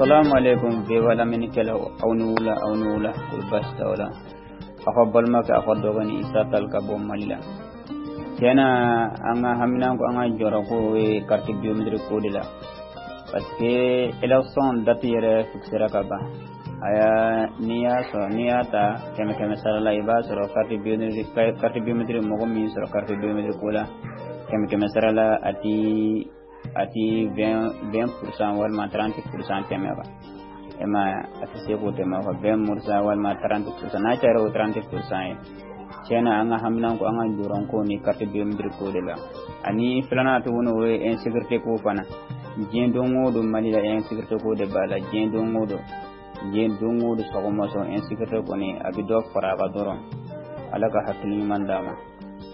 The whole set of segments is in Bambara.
Assalamu alaikum VOA lamɛnnikɛlaw, aw ni wula, aw ni wula, ko baasi t'aw la. Aw ka balimakɛ, aw ka dɔgɔnin Isa Tal ka bɔ Mali la. Tiɲɛna, an ka haminanko, an ka jɔrɔko ye carte biométrique ko de la, parce que élection date yɛrɛ fixera ka ban. Aya, n'i y'a sɔrɔ, n'i y'a ta kɛmɛ kɛmɛ sara la, i b'a sɔrɔ carte biométrique, mɔgɔ min sɔrɔ carte biométrique ko la, kɛmɛ kɛmɛ sara la, a ti 20% walima 30% tɛmɛ kan. E ma, a tɛ se k'o tɛmɛ kan, 20% walima 30%, n'a cayara, o 30% ye. Tiɲɛna, an ka haminanko, an ka jɔrɔnko ni carte biométrique ko de la. Ani filanan tuguni, o ye insécurité ko fana. Diɲɛ don o don, Mali la, insécurité ko de b'a la. Diɲɛ don o don, diɲɛ don o don, sɔgɔma sɔn, insécurité kɔni a bɛ dɔ fara a kan dɔrɔn. Ala ka hakili ɲuman d'a ma.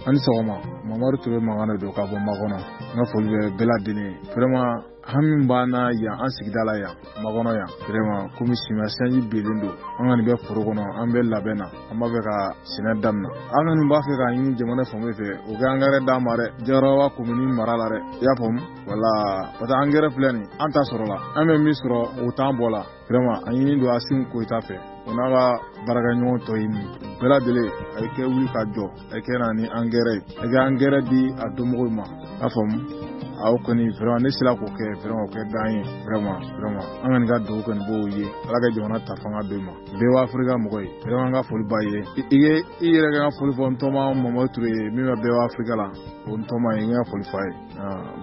Ani sɔgɔma, Mamadu Ture mankan de don ka bɔ Makɔnɔ. N ka foli bɛ bɛɛ lajɛlen ye. Vraiment, hami b'an na yan, an sigida la yan, Makɔnɔ yan. Vraiment, komi samiya sanji bilen don, an kɔni bɛ foro kɔnɔ, an bɛ labɛn na, an b'a fɛ ka sɛnɛ daminɛ. An kɔni b'a fɛ k'a ɲini jamana fan fɛ, o kɛ angɛrɛ d'an ma dɛ, Diaraba komini mara la dɛ, i y'a faamu? Wala, parce que angɛrɛ filɛ nin, an ta sɔrɔ la, an bɛ min sɔrɔ, o t'an bɔ la. Vraiment, a ɲini don Assimi Goïta fɛ, o n'a ka baarakɛɲɔgɔn tɔ ye nin bɛɛ lajɛlen, a ye kɛ wuli ka jɔ, a ye kɛ na ni angɛrɛ ye, a ye kɛ angɛrɛ di a somɔgɔw ma, i y'a faamu? Aw kɔni, vraiment, ne sera k'o kɛ, vraiment, o kɛ d'an ye. Vraiment, vraiment, an kɔni ka dugawu kɔni b'o ye. Ala ka jamana ta fanga d'o ma. Bɛɛ b'a Afirika mɔgɔ ye. Vraiment, an ka foli b'a ye. I ye i yɛrɛ ka foli fɔ n tɔma Mamadu Ture ye min bɛ bɛɛ b'a Afirika la, o n tɔma ye, n ka foli f'a ye.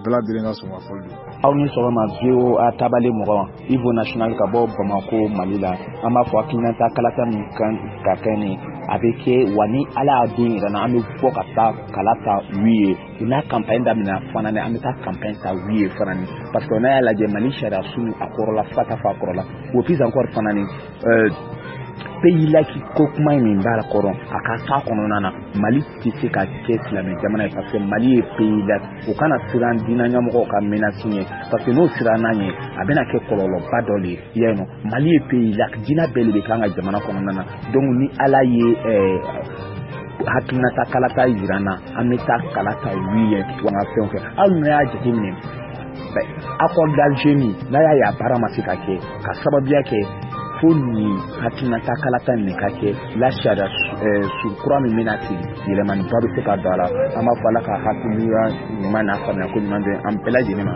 Bɛɛ lajɛlen ka sɔn ka foli don. Aw ni sɔgɔma, VOA tabale mɔgɔ, Ivo National ka bɔ Bamako, Mali la. An b'a fɔ hakilinata kalata min kan ka kɛ nin, a bɛ kɛ wa. Ni Ala y'a don yɛrɛ na, an bɛ bɔ ka taa kala ta oui ye. U n'a campagne daminɛ fana ni an bɛ taa campagne ta oui ye fana ni, parce que n'a y'a lajɛ, Mali sariya sun a kɔrɔla fo ka taa fɔ a kɔrɔla o plus encore fana ni pays laïque ko kuma in min b'a kɔrɔ, a ka to a kɔnɔna na. Mali tɛ se ka kɛ silamɛ jamana ye, parce que Mali ye pays laïque. O kana siran diinɛ ɲɛmɔgɔw ka menace ɲɛ, parce que n'o siranna ɲɛ, a bɛna kɛ kɔlɔlɔba dɔ de ye. I y'a ye nɔ, Mali ye pays laïque, diinɛ bɛɛ de bɛ kɛ an ka jamana kɔnɔna na. Donc ni Ala ye hakilinata kalata yira n na, an bɛ taa kala ta oui ye wa. An ka fɛnw kɛ, hali n'a y'a jateminɛ, accord d'Alger min n'a y'a ye, a baara ma se ka kɛ ka sababuya kɛ fo nin hakilinata kalata nin ka kɛ la. Sariya su kura min bɛna sigi, yɛlɛmaniba bɛ se ka don a la. An b'a fɔ Ala ka hakiliya ɲuman n'a faamuya ko ɲuman bɛ an bɛɛ lajɛlen ma.